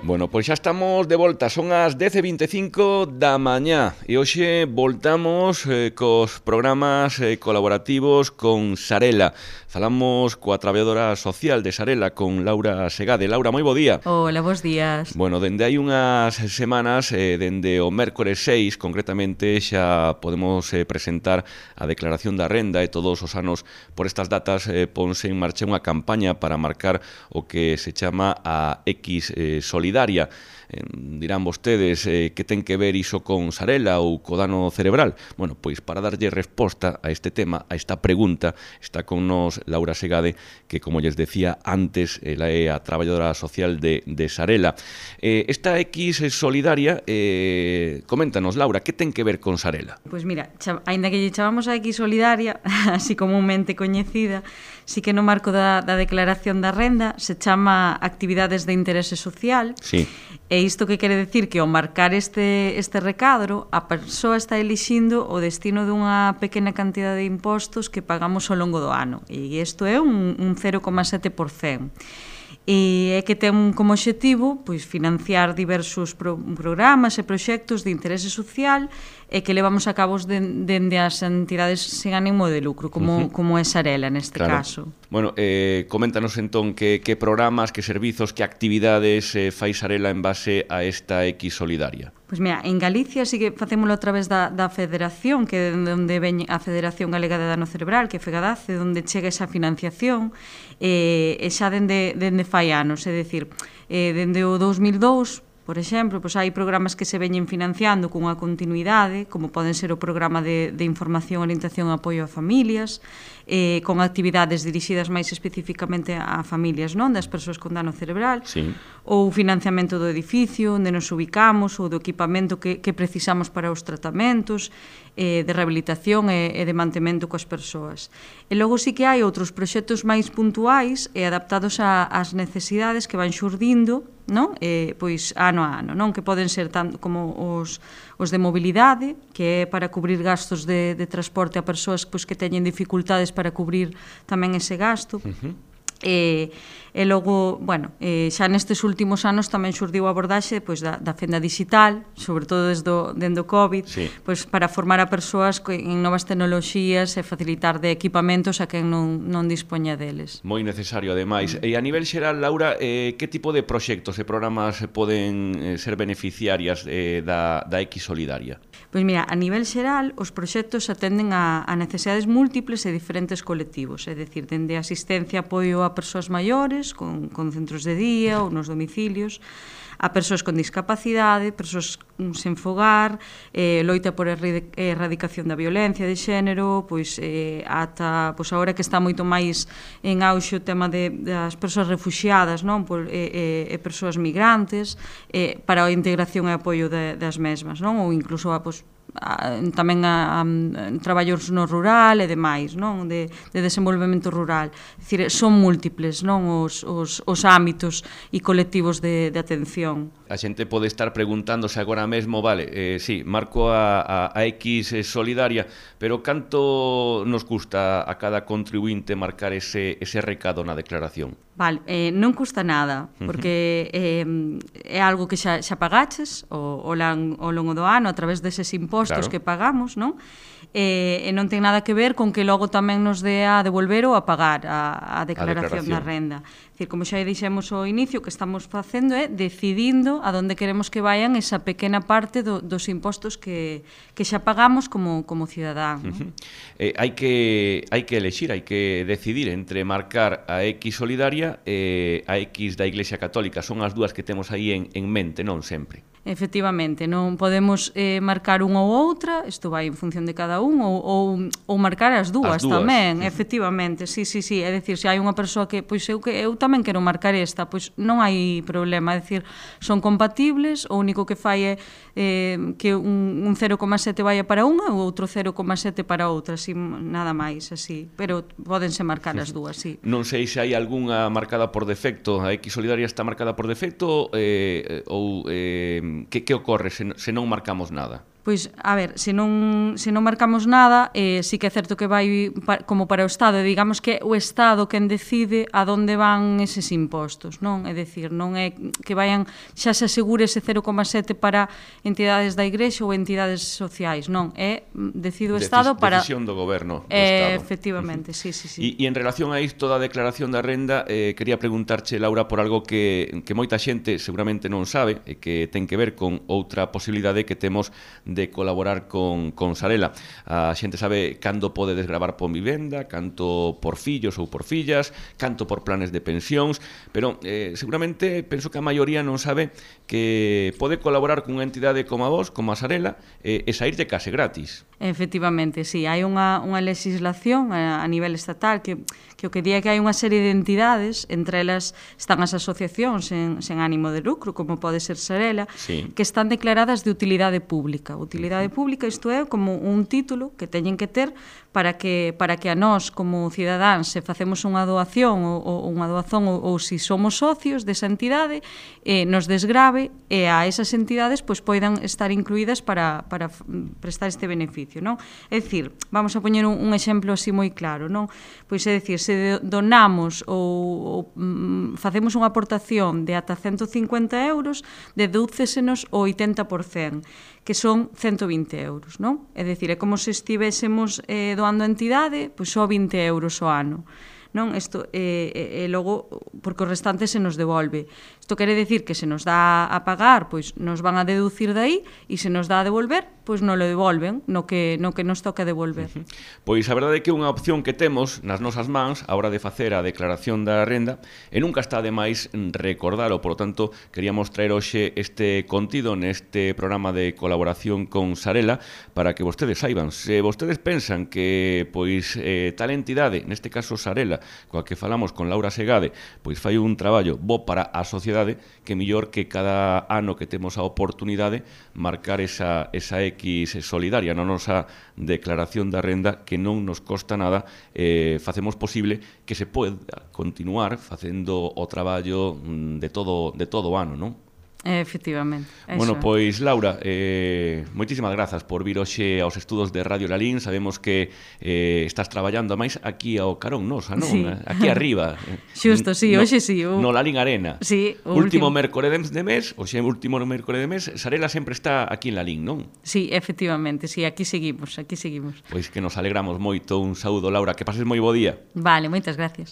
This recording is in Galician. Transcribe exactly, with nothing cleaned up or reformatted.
Bueno, pois xa estamos de volta, son as dez e vinte e cinco da mañá e hoxe voltamos eh, cos programas eh, colaborativos con Sarela. Falamos coa traballadora social de Sarela, con Laura Segade. Laura, moi bo día. Hola, bons días. Bueno, dende hai unhas semanas, eh, dende o mércores seis, concretamente, xa podemos eh, presentar a declaración da renda e todos os anos por estas datas eh, ponse en marcha unha campaña para marcar o que se chama a X eh, Solidaria. Eh, dirán vostedes eh, que ten que ver iso con Sarela ou co dano cerebral. Bueno, pois para darlle resposta a este tema, a esta pregunta, está con nos Laura Segade, que, como lles decía antes, ela é a traballadora social de, de Sarela. Eh, esta X Solidaria, eh, coméntanos, Laura, que ten que ver con Sarela? Pois mira, aínda que lle chamamos a X Solidaria, así comúnmente coñecida, sí que no marco da, da declaración da renda se chama actividades de interese social. Sí. E isto que quere decir que ao marcar este, este recadro, a persoa está elixindo o destino dunha pequena cantidade de impostos que pagamos ao longo do ano. E isto é un, un cero coma sete por cento. E é que ten como obxectivo pois, financiar diversos pro, programas e proxectos de interese social e que levamos a cabo dende as entidades sen ánimo de lucro, como, uh -huh. como é Sarela neste claro. caso. Bueno, eh, coméntanos entón que, que programas, que servizos, que actividades eh, fai Sarela en base a esta X Solidaria. Pois mira, en Galicia sí que facémolo a través da, da Federación, que é onde ven a Federación Galega de Dano Cerebral, que é FEGADACE, onde chega esa financiación, e, e xa dende, dende fai anos, é dicir, eh, dende o dous mil dous, por exemplo, pois hai programas que se veñen financiando cunha continuidade, como poden ser o programa de, de información, orientación e apoio a familias, eh, con actividades dirixidas máis especificamente a familias, non, das persoas con dano cerebral, sí. Ou financiamento do edificio, onde nos ubicamos, ou do equipamento que, que precisamos para os tratamentos, eh, de rehabilitación e, e de mantemento coas persoas. E logo sí que hai outros proxectos máis puntuais e adaptados a, ás necesidades que van xurdindo, non? Eh, pois ano a ano, non? Que poden ser tanto como os, os de mobilidade, que é para cubrir gastos de, de transporte a persoas pois, que teñen dificultades para cubrir tamén ese gasto. Uh-huh. E, e logo, bueno, eh, xa nestes últimos anos tamén xurdiu a abordaxe pois, da, da fenda digital, sobre todo desde o, dende o COVID, sí. pois, para formar a persoas en novas tecnoloxías e facilitar de equipamentos a quen non, non dispoña deles. Moi necesario, ademais. Mm. E a nivel xeral, Laura, eh, que tipo de proxectos e programas poden eh, ser beneficiarias eh, da, da X Solidaria? Pois mira, a nivel xeral, os proxectos atenden a, a necesidades múltiples e diferentes colectivos, é dicir, dende asistencia e apoio a persoas maiores, con, con centros de día ou nos domicilios, a persoas con discapacidade, persoas sen fogar, eh, loita por a erradicación da violencia de xénero, pois eh, ata pois agora que está moito máis en auxe o tema de, das persoas refuxiadas, non, por, e, e, e persoas migrantes, eh, para a integración e apoio de, das mesmas, non, ou incluso a, pois, a, tamén a, a, a traballos no rural e demais, non, de, de desenvolvemento rural. É dicir, son múltiples, non, os, os, os ámbitos e colectivos de, de atención. A xente pode estar preguntándose agora mesmo, vale, eh, sí, marco a, a, a X Solidaria, pero canto nos custa a cada contribuinte marcar ese, ese recado na declaración? Vale, eh, non custa nada, porque eh, é algo que xa, xa pagaches o, o lan, ao longo do ano a través deses impostos claro. que pagamos, non? E, e non ten nada que ver con que logo tamén nos dé a devolver ou a pagar a, a, declaración, a declaración da renda. É dicir, como xa dixemos ao inicio, o que estamos facendo é decidindo a donde queremos que vayan esa pequena parte do, dos impostos que, que xa pagamos como, como cidadán. Uh -huh. eh, hai que hai que elexir, hai que decidir entre marcar a X Solidaria e a X da Iglesia Católica. Son as dúas que temos aí en, en mente, non sempre. Efectivamente, non podemos eh, marcar unha ou outra, isto vai en función de cada un, ou, ou, ou marcar as dúas, as dúas tamén, uh -huh. efectivamente, sí, sí, sí, é dicir, se hai unha persoa que, pois eu, que eu tamén quero marcar esta, pois non hai problema, é dicir, son compatibles, o único que fai é eh, que un, un cero coma sete vaya para unha ou outro cero coma sete para outra, así, nada máis, así, pero pódense marcar as dúas, sí. Non sei se hai algunha marcada por defecto, a X Solidaria está marcada por defecto, eh, ou... Eh, Que, que ocorre se, se non marcamos nada? Pois, a ver, se non, se non marcamos nada, eh, sí que é certo que vai pa, como para o Estado, digamos que é o Estado quen decide a donde van eses impostos, non? É dicir, non é que vayan, xa se asegure ese cero coma sete para entidades da Igrexa ou entidades sociais, non, é decide o Estado para... Decisión do goberno do eh, Estado. Efectivamente, sí, sí, sí. E, e en relación a isto da declaración da renda, eh, quería preguntarche, Laura, por algo que, que moita xente seguramente non sabe e que ten que ver con outra posibilidade que temos de colaborar con, con Sarela. A xente sabe cando pode desgravar por vivenda, canto por fillos ou por fillas, canto por planes de pensións, pero eh, seguramente penso que a maioría non sabe que pode colaborar con unha entidade como a vos, como a Sarela, eh, e sair de case gratis. Efectivamente, sí, hai unha, unha legislación a, a nivel estatal que, que o que di é que hai unha serie de entidades, entre elas están as asociacións sen, sen ánimo de lucro, como pode ser Sarela, sí, que están declaradas de utilidade pública. Utilidade pública, isto é como un título que teñen que ter para que, para que a nós, como cidadáns, se facemos unha doación ou, ou unha doación ou, ou se somos socios desa entidade, eh, nos desgrave e a esas entidades pois, poidan estar incluídas para, para prestar este beneficio. Non? É dicir, vamos a poñer un, un exemplo así moi claro, non? Pois é dicir, se donamos ou, ou mm, facemos unha aportación de ata ciento cincuenta euros, dedúcesenos o oitenta por cento, que son ciento vinte euros, non? É dicir, é como se estivésemos eh, doando a entidade, pois só vinte euros ao ano. Non? Isto, e, e, e logo, porque o restante se nos devolve. Isto quere decir que se nos dá a pagar, pois nos van a deducir dai, e se nos dá a devolver, pois non lo devolven, no que, no que nos toca devolver. Uh-huh. Pois a verdade é que é unha opción que temos nas nosas mans a hora de facer a declaración da renda e nunca está de máis recordalo, por lo tanto, queríamos traer hoxe este contido neste programa de colaboración con Sarela para que vostedes saiban. Se vostedes pensan que pois eh, tal entidade, neste caso Sarela, coa que falamos con Laura Segade, pois fai un traballo bo para a sociedade, que mellor que cada ano que temos a oportunidade marcar esa, esa X solidaria na nosa declaración da renda que non nos costa nada, eh, facemos posible que se poida continuar facendo o traballo de todo, de todo o ano, non? Efectivamente. Bueno, pois, Laura, eh, moitísimas grazas por vir hoxe aos estudos de Radio Lalín. Sabemos que eh, estás traballando máis aquí ao carón nosa, non? Sí. Aquí arriba. Xusto, sí, no, hoxe sí. O... No Lalín Arena. Sí, o último, último mércore de mes, hoxe último mércore de mes, Sarela sempre está aquí en Lalín, non? Sí, efectivamente, sí, aquí seguimos, aquí seguimos. Pois que nos alegramos moito. Un saúdo, Laura, que pases moi bo día. Vale, moitas gracias.